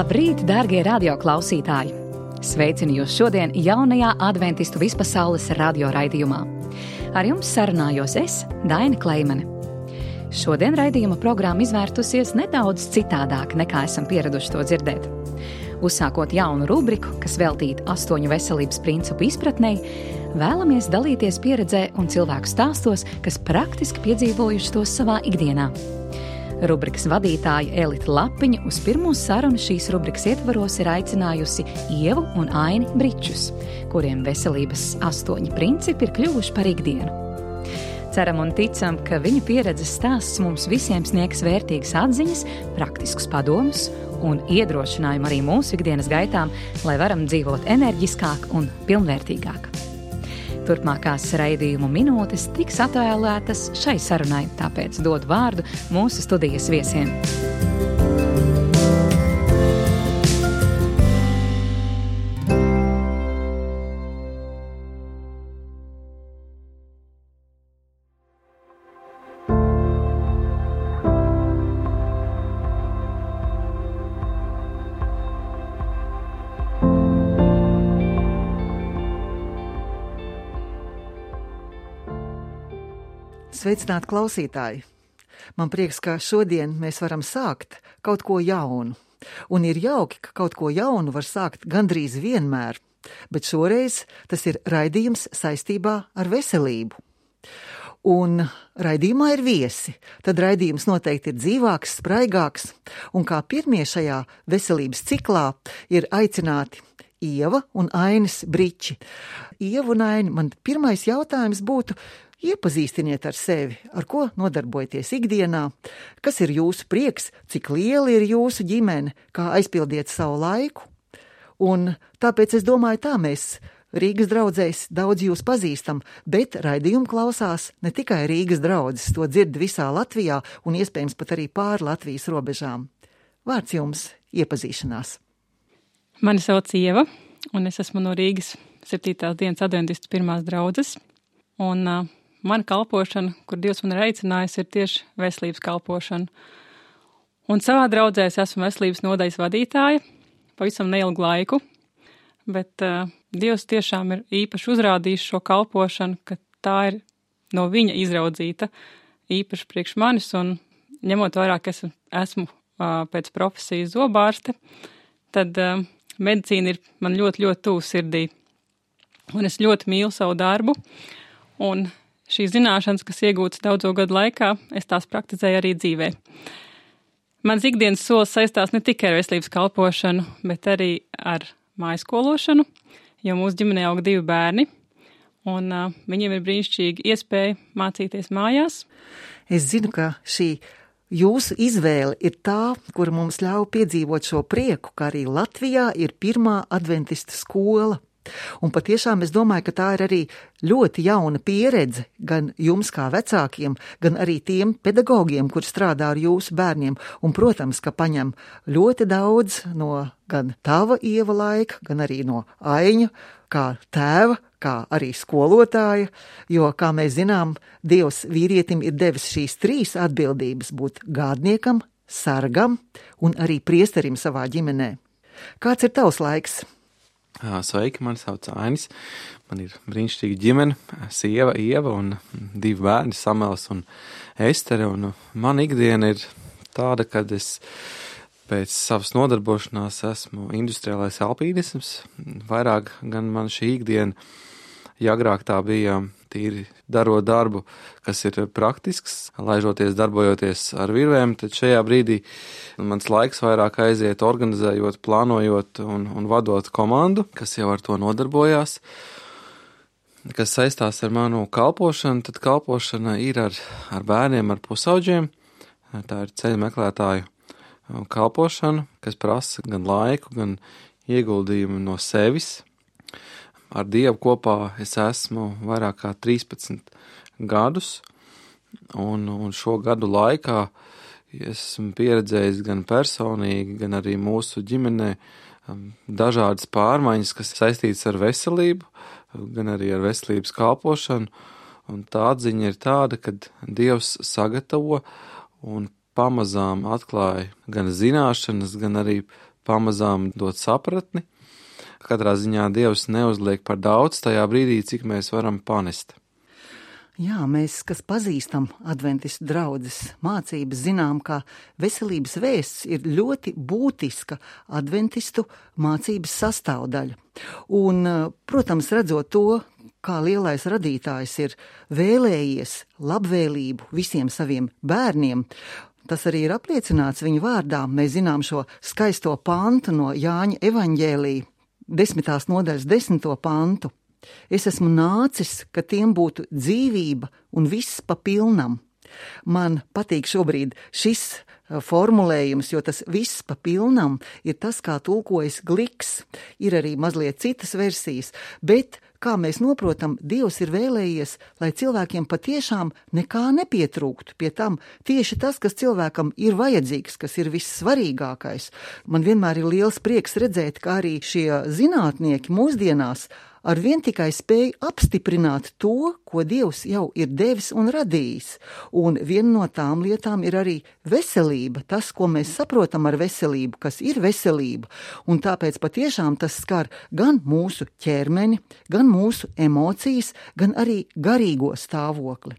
Labrīt, dārgie radioklausītāji! Sveicinu jūs šodien jaunajā adventistu vispasaules radioraidījumā. Ar jums sarunājos es, Daina Kleimane. Šodien raidījuma programma izvērtusies nedaudz citādāk, nekā esam pieraduši to dzirdēt. Uzsākot jaunu rubriku, kas veltīta 8 veselības principu izpratnei, vēlamies dalīties pieredzē un cilvēku stāstos, kas praktiski piedzīvojuši tos savā ikdienā. Rubrikas vadītāja Elita Lapiņa uz pirmo sarunu šīs rubrikas ietvaros ir aicinājusi Ievu un Aini Bričus, kuriem veselības 8 principi ir kļuvuši par ikdienu. Ceram un ticam, ka viņu pieredzes stāsts mums visiem sniegs vērtīgas atziņas, praktiskus padomus un iedrošinājumu arī mūsu ikdienas gaitām, lai varam dzīvot enerģiskāk un pilnvērtīgāk. Turpmākās raidījumu minūtes tiks atvēlētas šai sarunai, tāpēc dod vārdu mūsu studijas viesiem. Sveicināti klausītāji! Man prieks, ka šodien mēs varam sākt kaut ko jaunu. Un ir jauki, ka kaut ko jaunu var sākt gandrīz vienmēr, bet šoreiz tas ir raidījums saistībā ar veselību. Un raidījumā ir viesi, tad raidījums noteikti ir dzīvāks, spraigāks, un kā pirmie šajā veselības ciklā ir aicināti Ieva un Ainis Briči. Ieva un Aini, man pirmais jautājums būtu: iepazīstiniet ar sevi, ar ko nodarbojaties ikdienā, kas ir jūsu prieks, cik liela ir jūsu ģimene, kā aizpildiet savu laiku. Un tāpēc es domāju, tā mēs Rīgas draudzēs daudz jūs pazīstam, bet raidījumu klausās ne tikai Rīgas draudzes, to dzird visā Latvijā un iespējams pat arī pāri Latvijas robežām. Vārds jums iepazīšanās. Mani sauc Ieva, un es esmu no Rīgas 7. dienas adventistu pirmās draudzes, un mana kalpošana, kur Dievs man ir aicinājis, ir tieši veselības kalpošana. Un savā draudzē es esmu veselības nodaļas vadītāja pavisam neilgu laiku, bet Dievs tiešām ir īpaši uzrādījis šo kalpošanu, ka tā ir no viņa izraudzīta īpaši priekš manis, un ņemot vairāk, esmu pēc profesijas zobārste, tad medicīna ir man ļoti, ļoti tuvu sirdī. Un es ļoti mīlu savu darbu, un šīs zināšanas, kas iegūtas daudzo gadu laikā, es tās praktizēju arī dzīvē. Mans ikdienas solis saistās ne tikai ar veselības kalpošanu, bet arī ar mājskološanu, jo mūsu ģimenē aug 2 bērni, un viņiem ir brīnišķīga iespēja mācīties mājās. Es zinu, ka šī jūsu izvēle ir tā, kura mums ļauj piedzīvot šo prieku, ka arī Latvijā ir pirmā adventistu skola. Un patiešām es domāju, ka tā ir arī ļoti jauna pieredze gan jums kā vecākiem, gan arī tiem pedagogiem, kur strādā ar jūsu bērniem. Un, protams, ka paņem ļoti daudz no gan tava Ieva laika, gan arī no Aiņa, kā tēva, kā arī skolotāja, jo, kā mēs zinām, Dievs vīrietim ir devis šīs 3 atbildības būt gādniekam, sargam un arī priesterim savā ģimenē. Kāds ir tavs laiks? Sveiki, mani sauc Ainis. Man ir brīnišķīga ģimene, sieva Ieva un 2 bērni, Samuels un Estere. Un man ikdiena ir tāda, kad es pēc savas nodarbošanās esmu industriālais alpīnisms. Vairāk gan man šī ikdiena, ja agrāk tā bija tīri darot darbu, kas ir praktisks, laižoties, darbojoties ar virvēm, tad šajā brīdī mans laiks vairāk aiziet organizējot, plānojot un vadot komandu, kas jau ar to nodarbojās. Kas saistās ar manu kalpošanu, tad kalpošana ir ar bērniem, ar pusauģiem. Tā ir ceļu meklētāju kalpošana, kas prasa gan laiku, gan ieguldījumu no sevis. Ar Dievu kopā es esmu vairāk kā 13 gadus, un šo gadu laikā esmu pieredzējis gan personīgi, gan arī mūsu ģimenē dažādas pārmaiņas, kas saistītas ar veselību, gan arī ar veselības kalpošanu, un tā atziņa ir tāda, ka Dievs sagatavo un pamazām atklāja gan zināšanas, gan arī pamazām dot sapratni. Katrā ziņā Dievs neuzliek par daudz tajā brīdī, cik mēs varam panest. Jā, mēs, kas pazīstam adventistu draudzes mācības, zinām, ka veselības vēsts ir ļoti būtiska adventistu mācības sastāvdaļa. Un, protams, redzot to, kā lielais radītājs ir vēlējies labvēlību visiem saviem bērniem, tas arī ir apliecināts viņa vārdā. Mēs zinām šo skaisto pantu no Jāņa evaņģēlija, 10. nodaļas 10. pantu. Es esmu nācis, ka tiem būtu dzīvība un viss pa pilnam. Man patīk šobrīd šis formulējums, jo tas viss pa pilnam ir tas, kā tulkojas Gliks. Ir arī mazliet citas versijas, bet, kā mēs noprotam, Dievs ir vēlējies, lai cilvēkiem patiešām nekā nepietrūktu. Pie tam tieši tas, kas cilvēkam ir vajadzīgs, kas ir vissvarīgākais. Man vienmēr ir liels prieks redzēt, kā arī šie zinātnieki mūsdienās arvien tikai spēj apstiprināt to, ko Dievs jau ir devis un radījis. Un viena no tām lietām ir arī veselība, tas, ko mēs saprotam ar veselību, kas ir veselība. Un tāpēc patiešām tas skar gan mūsu ķermeni, gan mūsu emocijas, gan arī garīgo stāvokli.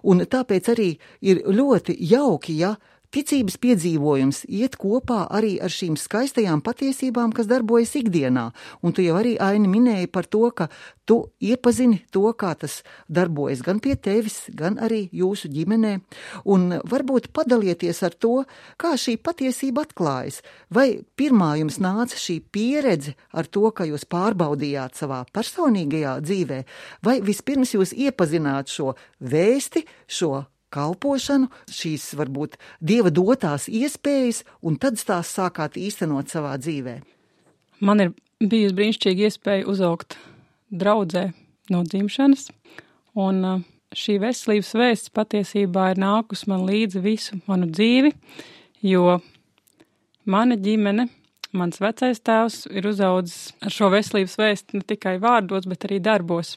Un tāpēc arī ir ļoti jauki, ja ticības piedzīvojums iet kopā arī ar šīm skaistajām patiesībām, kas darbojas ikdienā. Un tu jau arī, Aini, minēji par to, ka tu iepazini to, kā tas darbojas gan pie tevis, gan arī jūsu ģimenē. Un varbūt padalieties ar to, kā šī patiesība atklājas. Vai pirmā jums nāca šī pieredze ar to, ka jūs pārbaudījāt savā personīgajā dzīvē, vai vispirms jūs iepazināt šo vēsti, šo kalpošanu, šīs varbūt Dieva dotās iespējas, un tad tās sākāt īstenot savā dzīvē? Man ir bijusi brīnišķīga iespēja uzaugt draudzē no dzimšanas, un šī veselības vēsts patiesībā ir nākus man līdzi visu manu dzīvi, jo mana ģimene, mans vecais tēvs ir uzaudzis ar šo veselības vēstu ne tikai vārdos, bet arī darbos.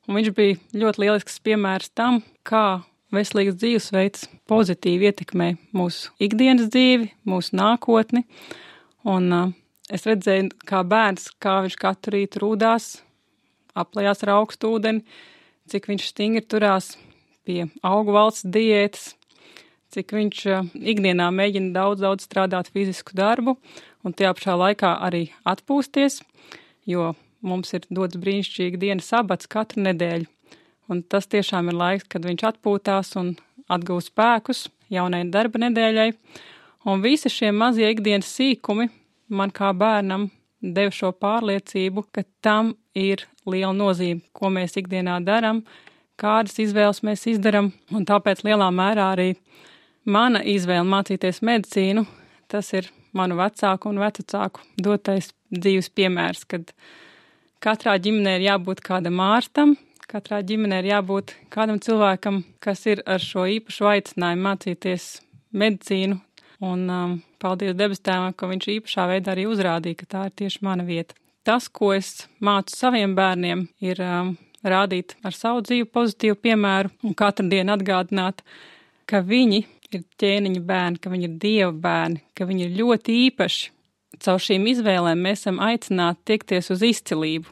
Un viņš bija ļoti lielisks piemērs tam, kā veselīgs dzīvesveids pozitīvi ietekmē mūsu ikdienas dzīvi, mūsu nākotni. Un es redzēju, kā bērns, kā viņš katru rītu rūdās, aplējās ar augstu ūdeni, cik viņš stingri turās pie augu valsts diētas, cik viņš ikdienā mēģina daudz strādāt fizisku darbu un tajā pašā laikā arī atpūsties, jo mums ir dots brīnišķīgi dienas sabats katru nedēļu. Un tas tiešām ir laiks, kad viņš atpūtās un atgūst spēkus jaunai darba nedēļai. Un visi šie mazie ikdienas sīkumi man kā bērnam deva šo pārliecību, ka tam ir liela nozīme, ko mēs ikdienā daram, kādas izvēles mēs izdaram. Un tāpēc lielā mērā arī mana izvēle mācīties medicīnu, tas ir manu vecāku un vecāku dotais dzīves piemērs, kad katrā ģimenē ir jābūt kādam ārstam, katrā ģimenē ir jābūt kādam cilvēkam, kas ir ar šo īpašu aicinājumu mācīties medicīnu. Un paldies debes Tēvam, ka viņš īpašā veidā arī uzrādīja, ka tā ir tieši mana vieta. Tas, ko es mācu saviem bērniem, ir rādīt ar savu dzīvi pozitīvu piemēru un katru dienu atgādināt, ka viņi ir ķēniņa bērni, ka viņi ir Dieva bērni, ka viņi ir ļoti īpaši. Caur šīm izvēlēm mēs esam aicināti tiekties uz izcilību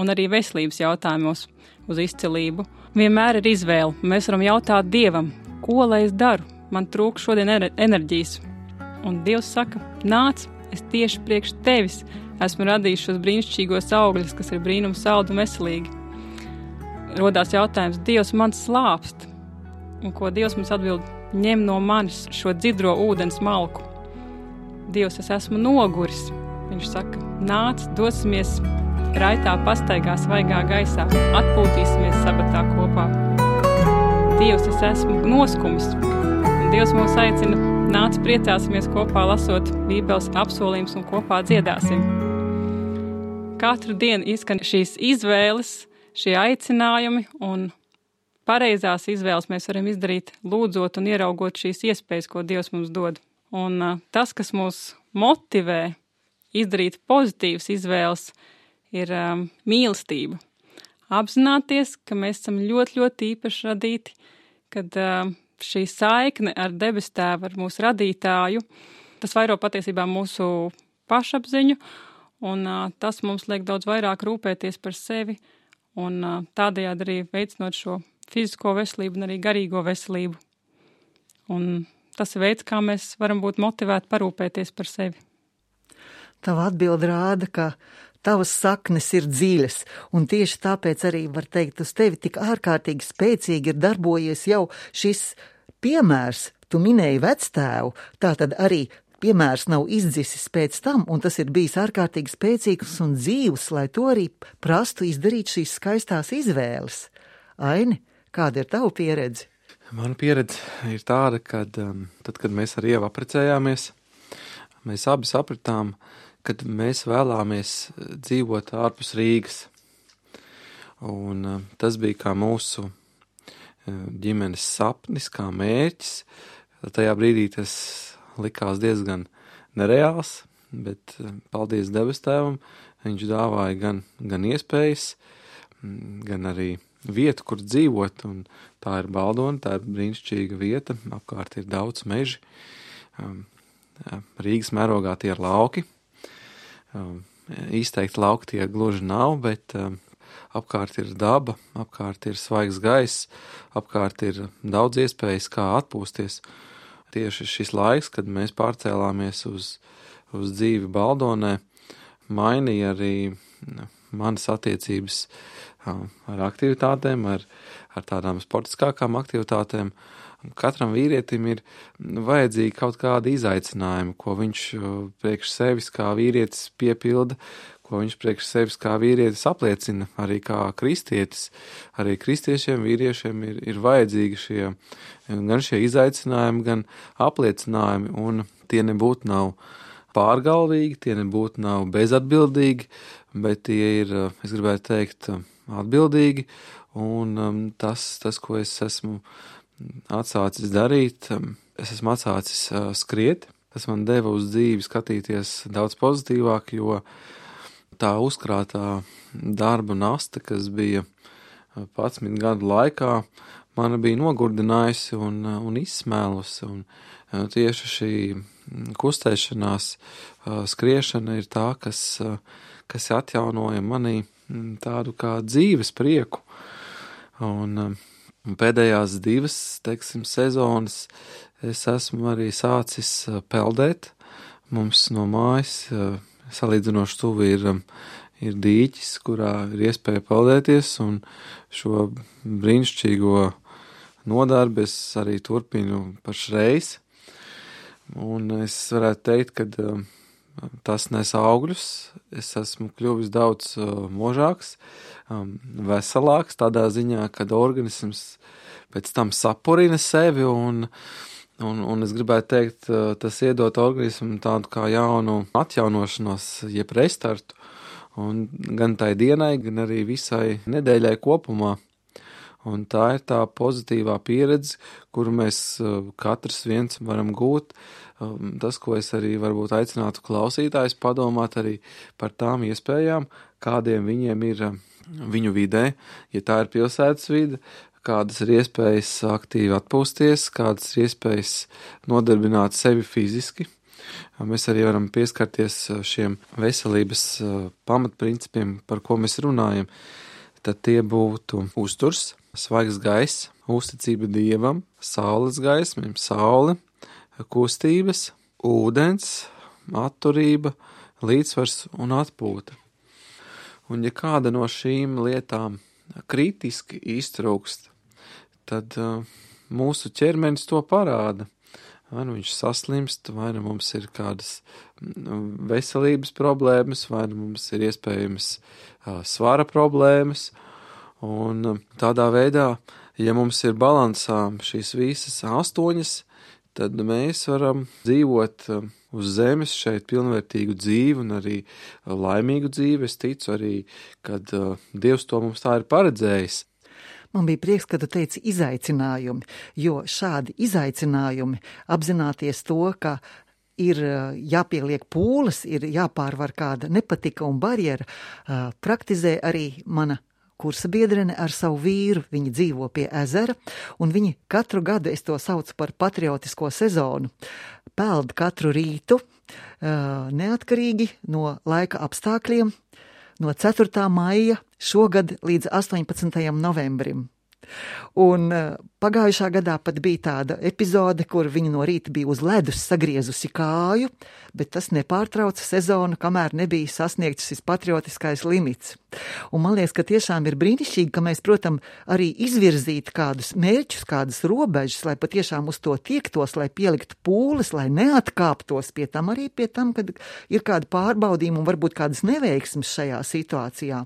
un arī veselības jautājumos uz izcilību. Vienmēr ir izvēle. Mēs varam jautāt Dievam, ko lai es daru? Man trūkst šodien enerģijas. Un Dievs saka, nāc, es tieši priekš tevis esmu radījis šos brīnišķīgos augļus, kas ir brīnums saldi un veselīgi. Rodās jautājums, Dievs man slāpst. Un ko Dievs mums atbild? Ņem no manis šo dzidro ūdens malku. Dievs, es esmu noguris. Viņš saka, nāc, dosimies raitā pastaigā svaigā gaisā, atpūtīsimies sabatā kopā. Dievs, es esmu noskumis. Un Dievs mūs aicina, nāc, priecāsimies kopā lasot Bībeles apsolījumus un kopā dziedāsim. Katru dienu izskan šīs izvēles, šie aicinājumi, un pareizās izvēles mēs varam izdarīt lūdzot un ieraugot šīs iespējas, ko Dievs mums dod. Un tas, kas mūs motivē izdarīt pozitīvas izvēles, ir mīlestība. Apzināties, ka mēs esam ļoti īpaši radīti, kad šī saikne ar debes Tēvu, ar mūsu radītāju, tas vairo patiesībā mūsu pašapziņu, un tas mums liek daudz vairāk rūpēties par sevi, un tādējādi arī veicinot šo fizisko veselību un arī garīgo veselību. Un tas ir veids, kā mēs varam būt motivēti parūpēties par sevi. Tava atbilde rāda, ka tavas saknes ir dziļas, un tieši tāpēc arī var teikt, uz tevi tik ārkārtīgi spēcīgi ir darbojies jau šis piemērs. Tu minēji vectēvu, tātad arī piemērs nav izdzisis pēc tam, un tas ir bijis ārkārtīgi spēcīgs un dzīvs, lai to arī prastu izdarīt šīs skaistās izvēles. Aini, kāda ir tava pieredze? Mana pieredze ir tāda, ka tad, kad mēs ar Ievu apprecējāmies, mēs abi sapratām, kad mēs vēlāmies dzīvot ārpus Rīgas. Un tas bija kā mūsu ģimenes sapnis, kā mērķis. Tajā brīdī tas likās diezgan nereāls, bet paldies debes Tēvam, viņš dāvāja gan iespējas, gan arī vietu, kur dzīvot, un tā ir Baldona, tā ir brīnišķīga vieta, apkārt ir daudz meži. Rīgas mērogā tie ir lauki. Izteikti lauki tie gluži nav, bet apkārt ir daba, apkārt ir svaigs gaiss, apkārt ir daudz iespējas, kā atpūsties. Tieši šis laiks, kad mēs pārcēlāmies uz dzīvi Baldonē, mainīja arī manas attiecības ar aktivitātēm, ar tādām sportiskākām aktivitātēm. Katram vīrietim ir vajadzīgi kaut kādi izaicinājumi, ko viņš priekš sevis kā vīrietis piepilda, ko viņš priekš sevis kā vīrietis apliecina, arī kā kristietis. Arī kristiešiem, vīriešiem ir vajadzīgi gan šie izaicinājumi, gan apliecinājumi, un tie nebūtu nav pārgalvīgi, tie nebūtu nav bezatbildīgi, bet tie ir, es gribētu teikt, atbildīgi, un tas, ko es esmu atsācis darīt, es esmu atsācis skriet. Tas man deva uz dzīvi skatīties daudz pozitīvāk, jo tā uzkrātā darba nasta, kas bija 11 gadu laikā, mani bija nogurdinājusi un izsmēlusi. Un tieši šī kustēšanās, skriešana ir tā, kas atjaunoja manī tādu kā dzīves prieku. Un pēdējās 2, teiksim, sezonas es esmu arī sācis peldēt. Mums no mājas salīdzinoši tuvi ir dīķis, kurā ir iespēja peldēties, un šo brīnišķīgo nodarbi es arī turpinu pašreiz. Un es varētu teikt, ka tas nes augļus. Es esmu kļuvis daudz možāks, veselāks, tādā ziņā, kad organisms pēc tam sapurina sevi, un es gribētu teikt, tas iedot organismam tādu kā jaunu atjaunošanos, jeb restartu, un gan tai dienai, gan arī visai nedēļai kopumā. Un tā ir tā pozitīvā pieredze, kuru mēs katrs viens varam gūt. Tas, ko es arī varbūt aicinātu klausītājus padomāt arī par tām iespējām, kādiem viņiem ir viņu vidē, ja tā ir pilsētas vide, kādas ir iespējas aktīvi atpūsties, kādas ir iespējas nodarbināt sevi fiziski. Mēs arī varam pieskarties šiem veselības pamatprincipiem, par ko mēs runājam. Tad tie būtu uzturs, svaigs gaiss, uzticība Dievam, saules gaisma, saule, kustības, ūdens, atturība, līdzsvars un atpūta. Un ja kāda no šīm lietām kritiski iztrūkst, tad mūsu ķermenis to parāda. Vai nu viņš saslimst, vai nu mums ir kādas veselības problēmas, vai nu mums ir iespējams svara problēmas. Un tādā veidā, ja mums ir balansā šīs visas 8, tad mēs varam dzīvot uz zemes šeit pilnvērtīgu dzīvi un arī laimīgu dzīvi. Es ticu arī, kad Dievs to mums tā ir paredzējis. Man bija prieks, ka tu teici izaicinājumi, jo šādi izaicinājumi apzināties to, ka ir jāpieliek pūles, ir jāpārvar kāda nepatika un barjera, praktizē arī mana kursa biedrene ar savu vīru. Viņi dzīvo pie ezera, un viņi katru gadu, es to saucu par patriotisko sezonu, peld katru rītu neatkarīgi no laika apstākļiem, no 4. maija šogad līdz 18. novembrim. Un pagājušā gadā pat bija tāda epizode, kur viņa no rīta bija uz ledus sagriezusi kāju, bet tas nepārtrauca sezonu, kamēr nebija sasniegts šis patriotiskais limits. Un man liekas, ka tiešām ir brīnišķīgi, ka mēs, protams, arī izvirzītu kādus mērķus, kādas robežas, lai patiešām uz to tiektos, lai pieliktu pūles, lai neatkāptos pie tam, arī pie tam, kad ir kādi pārbaudījumi un varbūt kādas neveiksmes šajā situācijā.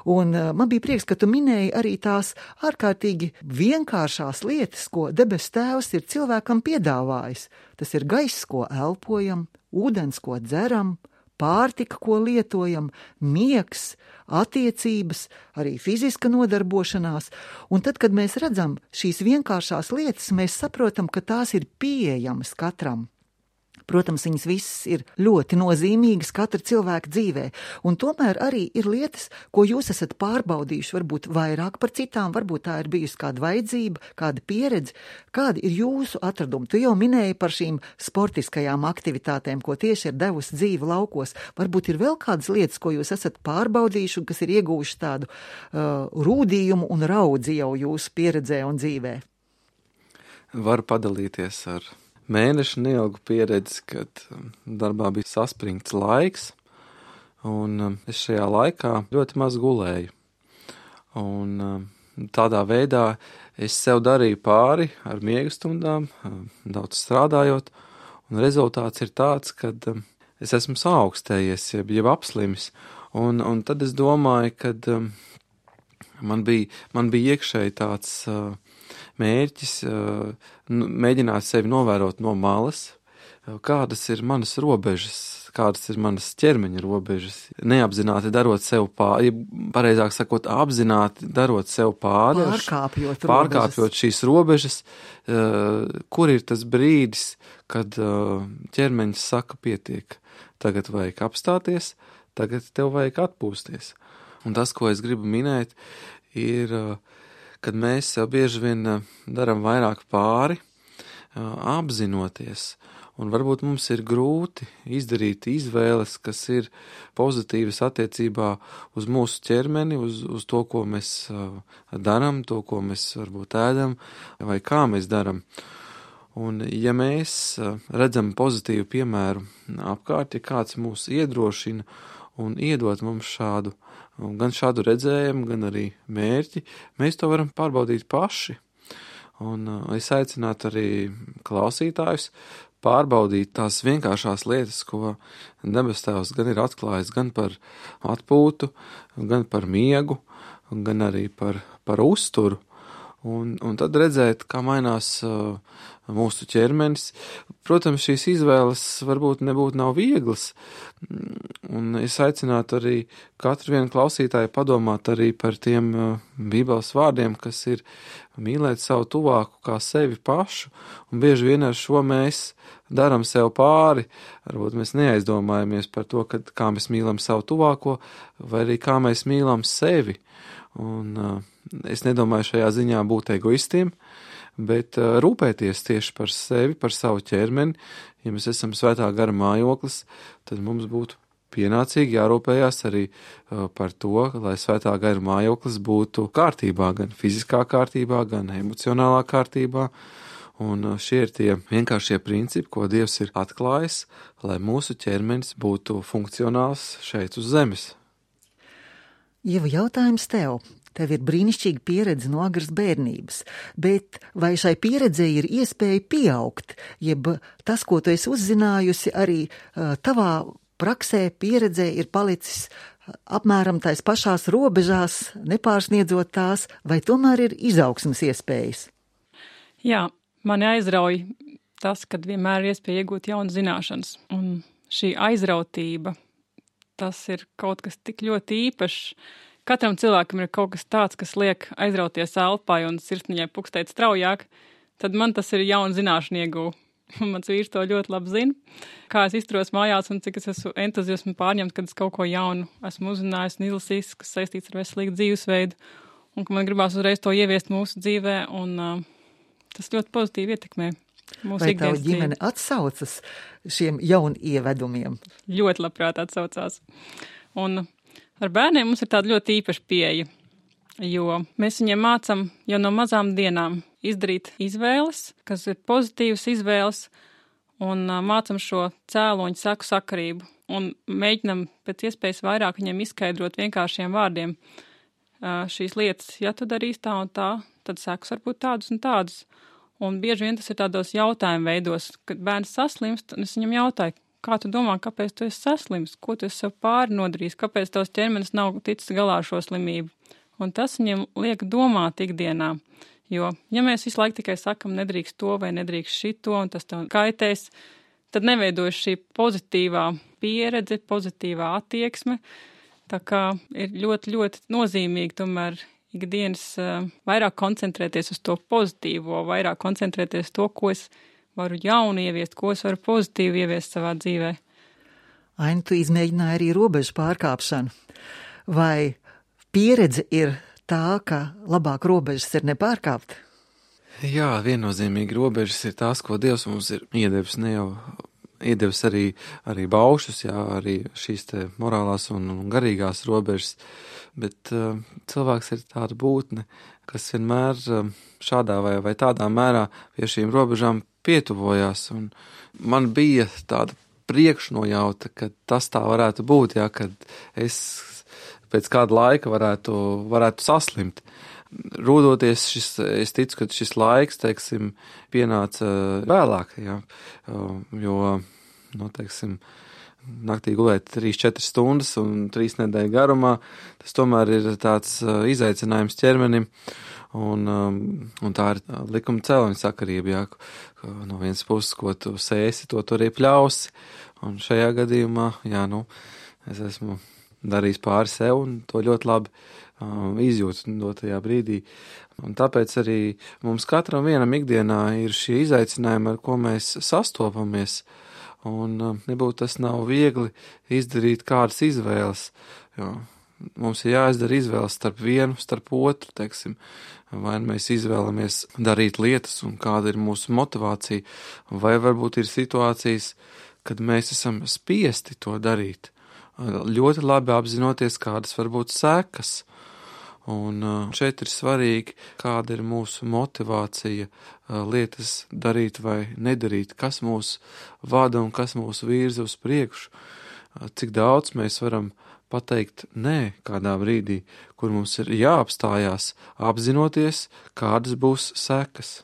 Un man bija prieks, ka tu minēji arī tās ārkārtīgi vienkāršās lietas, ko debes Tēvs ir cilvēkam piedāvājis. Tas ir gaiss, ko elpojam, ūdens, ko dzeram, pārtika, ko lietojam, miegs, attiecības, arī fiziska nodarbošanās. Un tad, kad mēs redzam šīs vienkāršās lietas, mēs saprotam, ka tās ir pieejamas katram. Protams, viņas visas ir ļoti nozīmīgas katra cilvēka dzīvē, un tomēr arī ir lietas, ko jūs esat pārbaudījuši, varbūt vairāk par citām, varbūt tā ir bijusi kāda vajadzība, kāda pieredze, kādi ir jūsu atradumi. Tu jau minēji par šīm sportiskajām aktivitātēm, ko tieši ir devusi dzīve laukos. Varbūt ir vēl kādas lietas, ko jūs esat pārbaudījuši un kas ir ieguvuši tādu rūdījumu un raudzi jau jūsu pieredzē un dzīvē. Varu padalīties ar mēnešu neilgu pieredzi, kad darbā bija saspringts laiks, un es šajā laikā ļoti maz gulēju. Un tādā veidā es sev darīju pāri ar miega stundām, daudz strādājot, un rezultāts ir tāds, ka es esmu saaugstējies, jeb apslimis, un tad es domāju, ka man bija iekšēji tāds mērķis mēģināt sevi novērot no malas, kādas ir manas robežas, kādas ir manas ķermeņa robežas, neapzināti darot sev pāri, pareizāk sakot, apzināti darot sev pāri, pārkāpjot šīs robežas, kur ir tas brīdis, kad ķermeņš saka pietiek, tagad vajag apstāties, tagad tev vajag atpūsties. Un tas, ko es gribu minēt, ir kad mēs bieži vien daram vairāk pāri, apzinoties, un varbūt mums ir grūti izdarīt izvēles, kas ir pozitīvas attiecībā uz mūsu ķermeni, uz to, ko mēs daram, to, ko mēs varbūt ēdam, vai kā mēs daram. Un ja mēs redzam pozitīvu piemēru apkārt, ja kāds mūs iedrošina un iedot mums gan šādu redzējumu, gan arī mērķi, mēs to varam pārbaudīt paši. Un es aicinātu arī klausītājus pārbaudīt tās vienkāršās lietas, ko debes Tēvs gan ir atklājis gan par atpūtu, gan par miegu, gan arī par uzturu. Un tad redzēt, kā mainās mūsu ķermenis. Protams, šīs izvēles varbūt nav vieglas, un es aicinātu arī katru vienu klausītāju padomāt arī par tiem Bībeles vārdiem, kas ir mīlēt savu tuvāku kā sevi pašu, un bieži vien ar šo mēs daram sev pāri. Varbūt mēs neaizdomājamies par to, kā mēs mīlam savu tuvāko, vai arī kā mēs mīlam sevi. Un es nedomāju šajā ziņā būt egoistiem, bet rūpēties tieši par sevi, par savu ķermeni. Ja mēs esam svētā gara mājoklis, tad mums būtu pienācīgi jārūpējās arī par to, lai svētā gara mājoklis būtu kārtībā, gan fiziskā kārtībā, gan emocionālā kārtībā. Un šie ir tie vienkāršie principi, ko Dievs ir atklājis, lai mūsu ķermenis būtu funkcionāls šeit uz zemes. Ieva, jautājums tev. Tev ir brīnišķīga pieredze no agras bērnības, bet vai šai pieredzei ir iespēja pieaugt, jeb tas, ko tu esi uzzinājusi, arī tavā praksē, pieredzē ir palicis apmēram tais pašās robežās, nepārsniedzot tās, vai tomēr ir izaugsmes iespējas? Jā, mani aizrauj tas, kad vienmēr ir iespēja iegūt jaunas zināšanas, un šī aizrautība, tas ir kaut kas tik ļoti īpašs. Katram cilvēkam ir kaut kas tāds, kas liek aizrauties elpai un sirsniņai pukstēt straujāk, tad man tas ir jauna zināšana ieguva. Mans vīrs to ļoti labi zina, kā es izturos mājās un cik es esmu entuziasmu pārņemts, kad es kaut ko jaunu esmu uzzinājis un izlasījis, kas saistīts ar veselīgu dzīvesveidu, un ka man gribās uzreiz to ieviest mūsu dzīvē, un tas ļoti pozitīvi ietekmē. Vai tavu ģimene atsaucas šiem jaunievedumiem? Ļoti labprāt atsaucās. Un ar bērniem mums ir tāda ļoti īpaša pieeja, jo mēs viņiem mācam jau no mazām dienām izdarīt izvēles, kas ir pozitīvas izvēles, un mācam šo cēloņu seku sakarību. Un mēģinam pēc iespējas vairāk viņiem izskaidrot vienkāršiem vārdiem šīs lietas. Ja tu darīsi tā un tā, tad sekas var būt tādas un tādas. Un bieži vien tas ir tādos jautājumu veidos, kad bērns saslimst, un es viņam jautāju, kā tu domā, kāpēc tu esi saslimst, ko tu esi sev pāri nodarījis, kāpēc tavs ķermenis nav ticis galā ar šo slimību. Un tas viņam liek domāt ikdienā, jo, ja mēs visu laiku tikai sakam, nedrīkst to vai nedrīkst šito, un tas tev kaitēs, tad neveidojas šī pozitīvā pieredze, pozitīvā attieksme, tā kā ir ļoti, ļoti nozīmīgi tomēr ikdienas vairāk koncentrēties uz to pozitīvo, vairāk koncentrēties to, ko es varu jaunu ieviest, ko es varu pozitīvi ieviest savā dzīvē. Aini, tu izmēģināji arī robežu pārkāpšanu. Vai pieredze ir tā, ka labāk robežas ir nepārkāpt? Jā, viennozīmīgi robežas ir tās, ko Dievs mums ir iedevis, ne jau iedevis arī baušus, jā, arī šīs te morālās un garīgās robežas, bet cilvēks ir tāda būtne, kas vienmēr šādā vai tādā mērā pie šīm robežām pietuvojās, un man bija tāda priekšnojauta, ka tas tā varētu būt, jā, kad es pēc kāda laika varētu saslimt. Rūdoties, es ticu, ka šis laiks, teiksim, pienāca vēlāk, jā, jo, teiksim, naktī gulēt 3-4 stundas un 3 nedēļu garumā, tas tomēr ir tāds izaicinājums ķermenim, un tā ir likuma cēloņa sakarība, jā, no vienas puses, ko tu sēsi, to tu arī pļausi, un šajā gadījumā, jā, es esmu darījis pāri sev un to ļoti labi izjūtu dotajā brīdī. Un tāpēc arī mums katram vienam ikdienā ir šie izaicinājumi, ar ko mēs sastopamies. Un nebūtu tas nav viegli izdarīt kādas izvēles, jo mums ir jāizdara izvēles starp vienu, starp otru, teiksim. Vai mēs izvēlamies darīt lietas un kāda ir mūsu motivācija, vai varbūt ir situācijas, kad mēs esam spiesti to darīt. Ļoti labi apzinoties, kādas var būt sekas. Un šeit ir svarīgi, kāda ir mūsu motivācija lietas darīt vai nedarīt, kas mūs vada un kas mūs virza uz priekšu, cik daudz mēs varam pateikt nē kādā brīdī, kur mums ir jāapstājās, apzinoties, kādas būs sekas.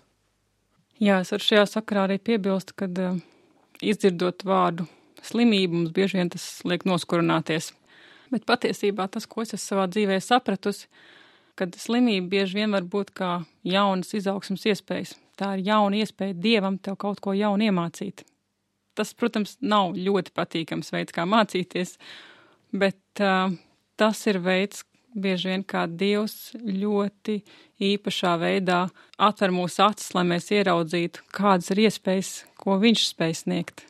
Jā, es varu šajā sakarā arī piebilst, kad izdzirdot vārdu slimību, mums bieži vien tas liek noskurināties. Bet patiesībā tas, ko es savā dzīvē sapratusi, kad slimība bieži vien var būt kā jaunas izaugsmas iespējas. Tā ir jauna iespēja Dievam tev kaut ko jaunu iemācīt. Tas, protams, nav ļoti patīkams veids, kā mācīties, bet tas ir veids, bieži vien kā Dievs ļoti īpašā veidā atver mūsu acis, lai mēs ieraudzītu, kādas ir iespējas, ko viņš spēj sniegt.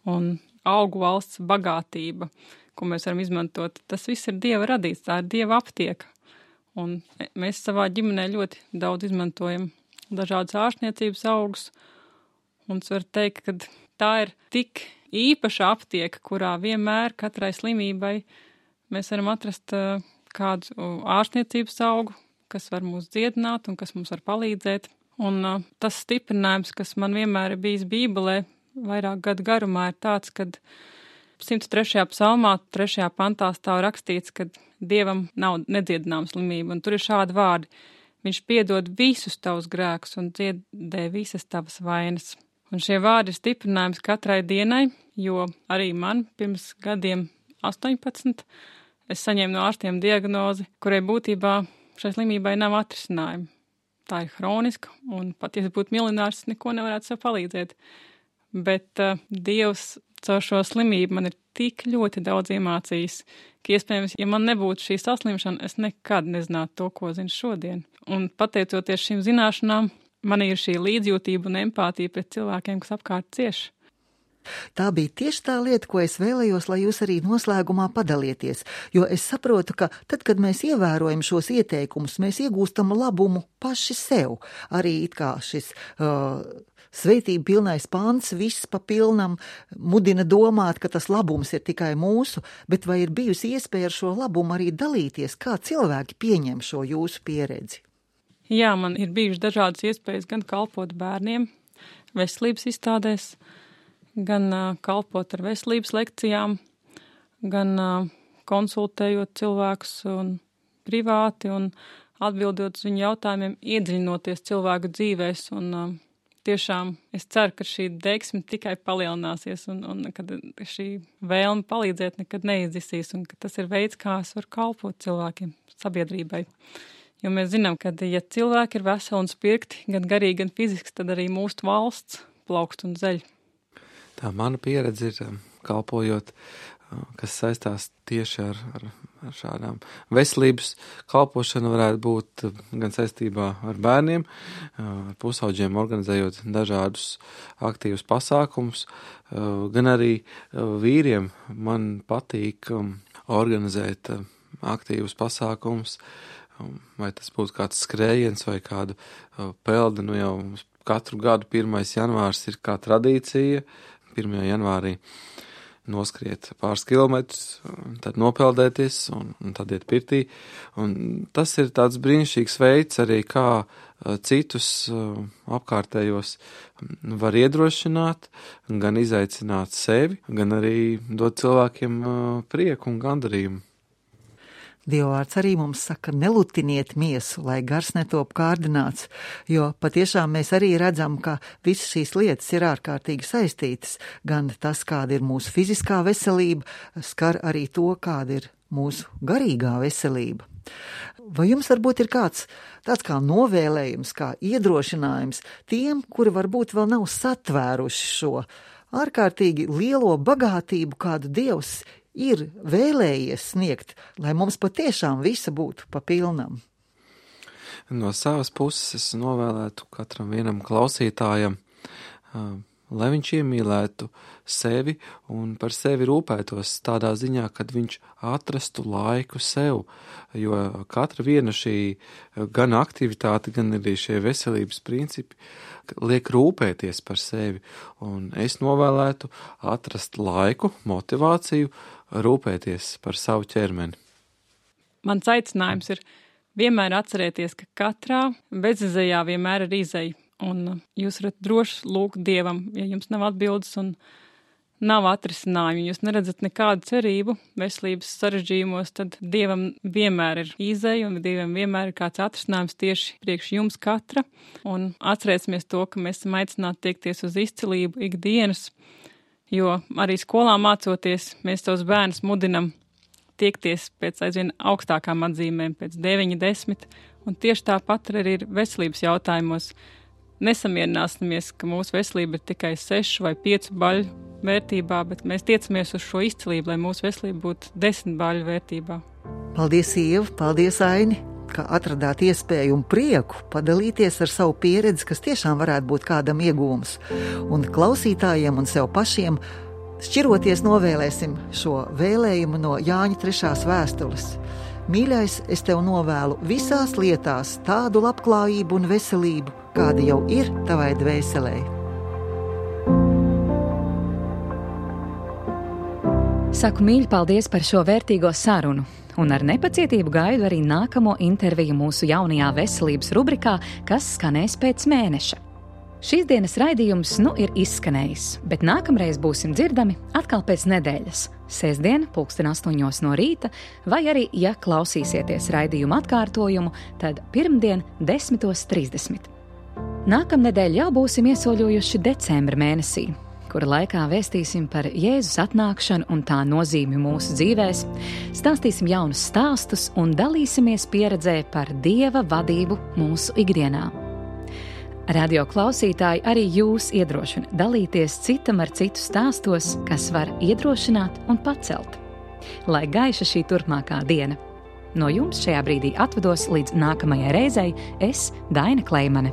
Un augu valsts bagātība, ko mēs varam izmantot, tas viss ir Dieva radīts, tā ir Dieva aptieka. Un mēs savā ģimenē ļoti daudz izmantojam dažādas ārstniecības augus, un es varu teikt, ka tā ir tik īpaša aptieka, kurā vienmēr katrai slimībai mēs varam atrast kādu ārstniecības augu, kas var mūs dziedināt un kas mums var palīdzēt. Un tas stiprinājums, kas man vienmēr ir bijis Bībelē, vairāk gadu garumā, ir tāds, kad 103. psalmā, 3. pantā stāv rakstīts, ka Dievam nav nedziedināma slimība, un tur ir šādi vārdi. Viņš piedod visus tavus grēkus un dziedē visas tavas vainas. Un šie vārdi ir stiprinājums katrai dienai, jo arī man pirms gadiem 18 es saņēmu no ārstiem diagnozi, kurai būtībā šai slimībai nav atrisinājuma. Tā ir hroniska, un pat, ja es būtu miljonārs, neko nevarētu sev palīdzēt. Bet Dievs caur šo slimību man ir tik ļoti daudz iemācījis, ka iespējams, ja man nebūtu šī saslimšana, es nekad nezinātu to, ko zinu šodien. Un pateicoties šīm zināšanām, man ir šī līdzjūtība un empātija pret cilvēkiem, kas apkārt cieš. Tā bija tieši tā lieta, ko es vēlējos, lai jūs arī noslēgumā padalieties, jo es saprotu, ka tad, kad mēs ievērojam šos ieteikumus, mēs iegūstam labumu paši sev. Arī it kā šis svētība pilnais pants, viss pa pilnam mudina domāt, ka tas labums ir tikai mūsu, bet vai ir bijusi iespēja ar šo labumu arī dalīties, kā cilvēki pieņem šo jūsu pieredzi? Jā, man ir bijušas dažādas iespējas gan kalpot bērniem veselības izstādēs, gan kalpot ar veselības lekcijām, gan konsultējot cilvēkus un privāti un atbildot uz viņu jautājumiem, iedziļinoties cilvēku dzīvēs. Un tiešām es ceru, ka šī deksme tikai palielināsies un kad šī vēlme palīdzēt nekad neizdisīs un ka tas ir veids, kā es varu kalpot cilvēkiem, sabiedrībai. Jo mēs zinām, ka ja cilvēki ir veseli un spirkti, gan garīgi, gan fiziski, tad arī mūsu valsts plaukst un zeļ. Tā mana pieredze ir kalpojot, kas saistās tieši ar šādām veselības kalpošanu, varētu būt gan saistībā ar bērniem, ar pusauģiem organizējot dažādus aktīvus pasākumus, gan arī vīriem. Man patīk organizēt aktīvus pasākumus, vai tas būtu kāds skrējiens vai kādu peldi, jau katru gadu 1. janvārs ir kā tradīcija, 1. janvārī noskriet pāris kilometrus, tad nopeldēties un tad iet pirtī. Un tas ir tāds brīnišķīgs veids arī, kā citus apkārtējos var iedrošināt, gan izaicināt sevi, gan arī dot cilvēkiem prieku un gandarījumu. Dievvvārds arī mums saka, nelutiniet miesu, lai gars netop kārdināts, jo patiešām mēs arī redzam, ka visas šīs lietas ir ārkārtīgi saistītas. Gan tas, kāda ir mūsu fiziskā veselība, skar arī to, kāda ir mūsu garīgā veselība. Vai jums varbūt ir kāds tāds kā novēlējums, kā iedrošinājums tiem, kuri varbūt vēl nav satvēruši šo ārkārtīgi lielo bagātību, kādu Dievs ir vēlējies sniegt, lai mums patiešām visa būtu pa pilnam? No savas puses es novēlētu katram vienam klausītājam, lai viņš iemīlētu sevi un par sevi rūpētos tādā ziņā, kad viņš atrastu laiku sev, jo katra viena šī gan aktivitāte, gan arī šie veselības principi liek rūpēties par sevi, un es novēlētu atrast laiku, motivāciju, rūpēties par savu ķermeni. Mans aicinājums ir vienmēr atcerēties, ka katrā bezizejā vienmēr ir izeja. Un jūs varat droši lūgt Dievam, ja jums nav atbildes un nav atrisinājumu, jūs neredzat nekādu cerību veselības sarežģījumos, tad Dievam vienmēr ir izeja un Dievam vienmēr ir kāds atrisinājums tieši priekš jums katra. Un atcerēsimies to, ka mēs esam aicināti tiekties uz izcilību ikdienas, jo arī skolā mācoties, mēs tos bērnus mudinam tiekties pēc aizvien augstākām atzīmēm, pēc 9, 10, un tieši tāpat arī ir veselības jautājumos. Nesamierināsimies, ka mūsu veselība ir tikai 6 vai 5 baļu vērtībā, bet mēs tiecamies uz šo izcilību, lai mūsu veselība būtu 10 baļu vērtībā. Paldies, Ieva, paldies, Aini, ka atradāt iespēju un prieku padalīties ar savu pieredzi, kas tiešām varētu būt kādam iegūms. Un klausītājiem un sev pašiem šķiroties novēlēsim šo vēlējumu no Jāņa 3. vēstules. Mīļais, es tev novēlu visās lietās tādu labklājību un veselību, kāda jau ir tavai dvēselē. Saku mīļi paldies par šo vērtīgo sarunu, un ar nepacietību gaidu arī nākamo interviju mūsu jaunajā veselības rubrikā, kas skanēs pēc mēneša. Šīs dienas raidījums ir izskanējis, bet nākamreiz būsim dzirdami atkal pēc nedēļas, sestdien 8:00 no rīta, vai arī, ja klausīsieties raidījuma atkārtojumu, tad pirmdien 10:30. Nākamnedēļ jau būsim iesoļojuši decembra mēnesī, kura laikā vēstīsim par Jēzus atnākšanu un tā nozīmi mūsu dzīvēs, stāstīsim jaunus stāstus un dalīsimies pieredzē par Dieva vadību mūsu ikdienā. Radio klausītāji, arī jūs iedrošina dalīties citam ar citu stāstos, kas var iedrošināt un pacelt. Lai gaiša šī turpmākā diena. No jums šajā brīdī atvados līdz nākamajai reizei, es, Daina Kleimane.